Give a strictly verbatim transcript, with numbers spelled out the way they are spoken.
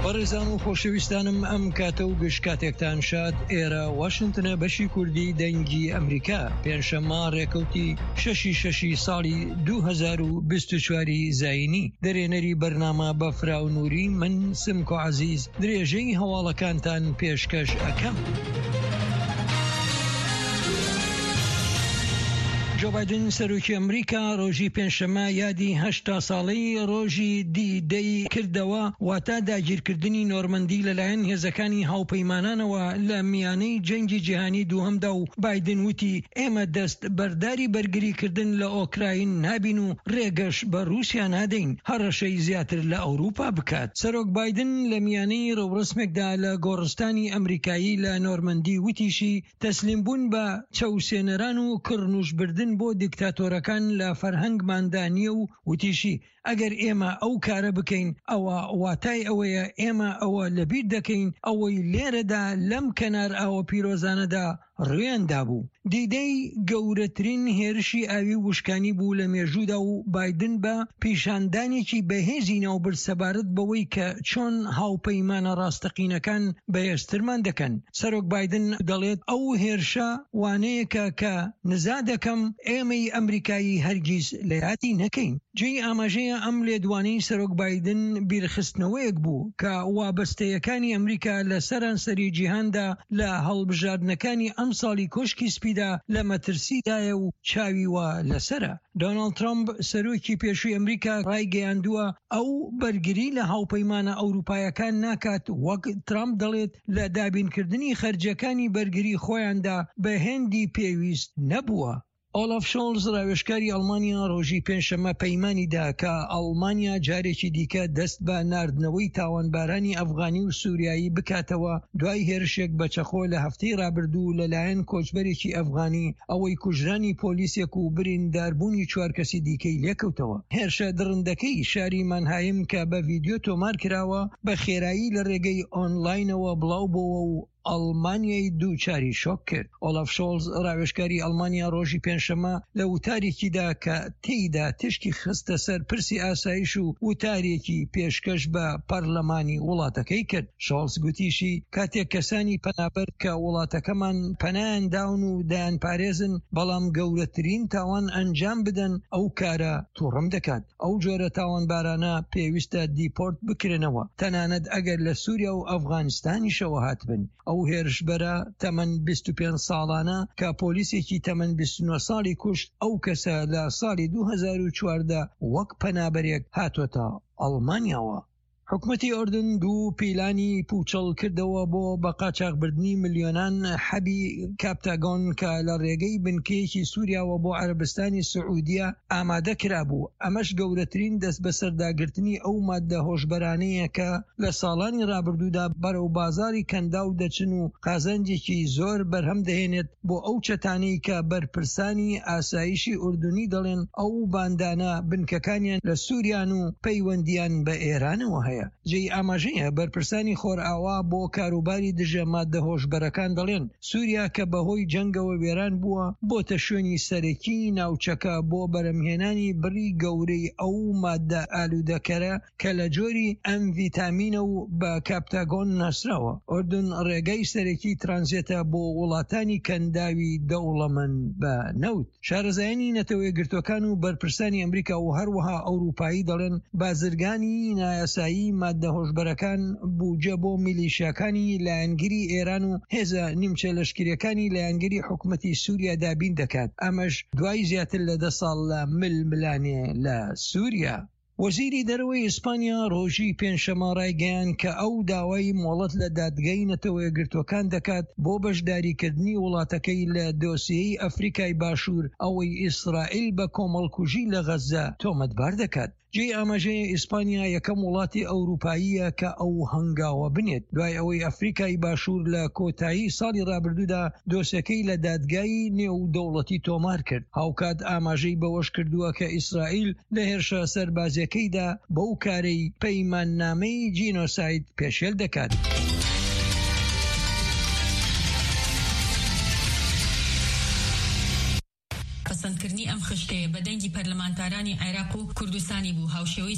بەڕێزان و خۆشەویستانم، ئەم کاتە و گشت کاتێکتان شاد. ئێرە واشنتنە، بەشی کوردی دەنگی ئەمریکا. پێنجشەممە ڕێکەوتی شەشی شەشی ساڵی دوو هەزار و بیست و چوار زایینی، دەرێنەری بەرنامە بەفراو نووری، من سمکۆ عەزیز درێژەی هەواڵەکانتان پێشکەش ئەکەم. جۆ بایدن سەرۆکی ئەمریکا ڕۆژی پێنجشەممە یادی هەشتا ساڵەی ڕۆژی دی دەی کردەوە، واتە داگیرکردنی نۆرمەندی لەلایەن هێزەکانی هاوپەیمانانەوە لە میانەی جەنگی جیهانی دووهەمدا. و بایدن وتی ئێمە دەست بەرداری بەرگریکردن لە ئۆکراین نابین و ڕێگەش بە رووسیا نادەین هەڕەشەی زیاتر لە ئەوروپا بکات. سەرۆک بایدن لە میانەی ڕێوڕسمێکدا لە گۆڕستانی ئەمریکایی لە نۆرمەندی وتیشی تەسلیم بوون بە چەوسێنەران و کڕنوشبردن بۆ دیکتاتۆرەکان لە فەرهەنگماندا نییە. و وتیشی ئەگەر ئێمە ئەو کارە بکەین، ئەوە واتای ئەوەیە ئێمە ئەوە لەبیر دەکەین ئەوەی لێرەدا لەم کەنار ئاوە پیرۆزانەدا ڕوێندا بوو. دیدەی گەورەترین هێرشی ئاوی وشکانی بوو لە مێژوودا و بایدن بە پیشاندانێکی بەهێزی ناوبرد سەبارەت بەوەی کە چۆن هاوپەیمانە ڕاستەقینەکان بەهێزترمان دەکەن. سەرۆک بایدن دەڵێت ئەو هێرشە وانەیەکە کە نزا دەکەم ئێمەی ئەمریکایی هەرگیز لە یادی نەکەین. جێی ئاماژەیە ئەم لێدوانەی سەرۆک بایدن بیرخستنەوەیەک بوو کە وابەستەیەکانی ئەمریکا لە سەرانسەری جیهاندا لە هەڵبژاردنەکانی ئەم ساڵی کۆشکی سپیدا لە مەترسیدایە و چاوی وا لەسرە. دۆناڵد ترامپ سەرۆکی پێشووی ئەمریکا ڕایگەیاندووە ئەو بەرگری لە هاوپەیمانە ئەوروپایەکان ناکات، وەک ترامپ دەڵێت لە دابینکردنی خەرجەکانی بەرگری خۆیاندا بە هێندی پێویست نەبووە. ئۆلاف شۆڵز ڕاوێژکاری ئەڵمانیا ڕۆژی پێنجشەممە پەیمانی دا کە ئەڵمانیا جارێکی دیکە دەست بە ناردنەوەی تاوانبارانی ئەفغانی و سووریایی بکاتەوە، دوای هێرشێک بە چەقۆ لە هەفتەی رابردوو لەلایەن کۆچبەرێکی ئەفغانی، ئەوەی کوژرانی پۆلیسێک و برینداربوونی چوار کەسی دیکەی لێکەوتەوە. هێرشە دڕندەکەی شاری مانهایم کە بە ڤیدیۆ تۆمار کراوە، بە خێرایی لە ڕێگەی ئۆنلاینەوە بڵاو بۆوە و ئەڵمانیای دووچاری شۆک کرد. ئۆلاف شۆڵز ڕاوێژکاری ئەڵمانیا ڕۆژی پێنجشەممە لە وتارێکیدا کە تێیدا تیشکی خستە سەر پرسی ئاسایش و وتارێکی پێشکەش بە پەرلەمانی وڵاتەکەی کرد. شۆڵز گوتیشی کاتێک کەسانی پەنابەر کە وڵاتەکەمان پەنایان داون و دەیان پارێزن، بەڵام گەورەترین تاوان ئەنجام بدەن، ئەو کارە تووڕم دەکات. ئەو جۆرە تاوانبارانە پێویستە دیپۆرت بکرێنەوە، تەنانەت ئەگەر لە سووریا و ئەفغانستانیشەوە هاتبن. ئەو هێرشبەرە تەمەن بیست و پێنج ساڵانە کە پۆلیسێکی تەمەن بیست و نۆ ساڵی کوشت، ئەو کەسە لە ساڵی دوو هەزار و چواردە وەک پەنابەرێک هاتۆتە ئەڵمانیاوە. حکومەتی ئۆردن دوو پیلانی پوچەڵ کردەوە بۆ بە قاچاقبردنی ملیۆنان حەبی کاپتاگۆن کە لە ڕێگەی بنکەیەکی سووریاوە بۆ عەربستانی سعودیە ئامادە کرابوو. ئەمەش گەورەترین دەست بەسەرداگرتنی ئەو مادە هۆشبەرانەیە کە لە ساڵانی ڕابردوودا بەرەو بازاری کەنداو دەچن و قازانجێکی زۆر بەرهەم دەهێنێت بۆ ئەو چەتانەی کە بەرپرسانی ئاسایشی ئوردونی دەڵێن ئەو باندانە بنکەکانیان لە سووریان و پەیوەندیان بە ئێرانەوە هەیە. جێی ئاماژەیە بەرپرسانی خۆرئاوا بۆ کاروباری دژە مادە هۆشبەرەکان دەڵێن سووریا کە بەهۆی جەنگەوە وێران بووە، بۆتە شوێنی سەرەکی ناوچەکە بۆ بەرهەمهێنانی بڕی گەورەی ئەو مادە ئالوودەکەرە کە لە جۆری ئەمفیتامینە و بە کاپتاگۆن ناسراوە. ئۆردن ڕێگای سەرەکی ترانزێتە بۆ وڵاتانی کەنداوی دەوڵەمەند بە نەوت. شارەزایانی نەتەوە یەکگرتوەکان و بەرپرسانی ئەمریکا و هەروەها ئەوروپایی دەڵێن بازرگانی نایاسایی مادە هۆشبەرەکان بودجە بۆ میلیشیاکانی لایەنگری ئێران و هێزە نیمچە لەشکریەکانی لایەنگری حکومەتی سووریا دابین دەکات، ئەمەش دوای زیاتر لە دە ساڵ لە ململانێ لە سووریا. وەزیری دەرەوەی ئیسپانیا ڕۆژی پێنجشەممە ڕایگەیان کە ئەو داوای مۆڵەت لە دادگای نەتەوە یەکگرتوەکان دەکات بۆ بەشداریکردنی وڵاتەکەی لە دۆسیەی ئەفریکای باشوور، ئەوەی ئیسرائیل بە کۆمەڵکوژی لە غەزە تۆمەتبار دەکات. جێی ئاماژەیە ئیسپانیا یەکەم وڵاتی ئەوروپاییە کە ئەو هەنگاوە بنێت، دوای ئەوەی ئەفریکای باشوور لە کۆتایی ساڵی ڕابردوودا دۆسیەکەی لە دادگای نێو دەوڵەتی تۆمار کرد. هاوکات ئاماژەی بەوەش کردووە کە ئیسرائیل لە هێرشە سەربازیەکەیدا بەو کارەی پەیماننامەی جینۆساید پێشێل دەکات. پەسەندکردنی ئەم خشتەیە بە دەنگی پەرلەمانتارانی عێراق و کوردستانی بوو، هاوشێوەی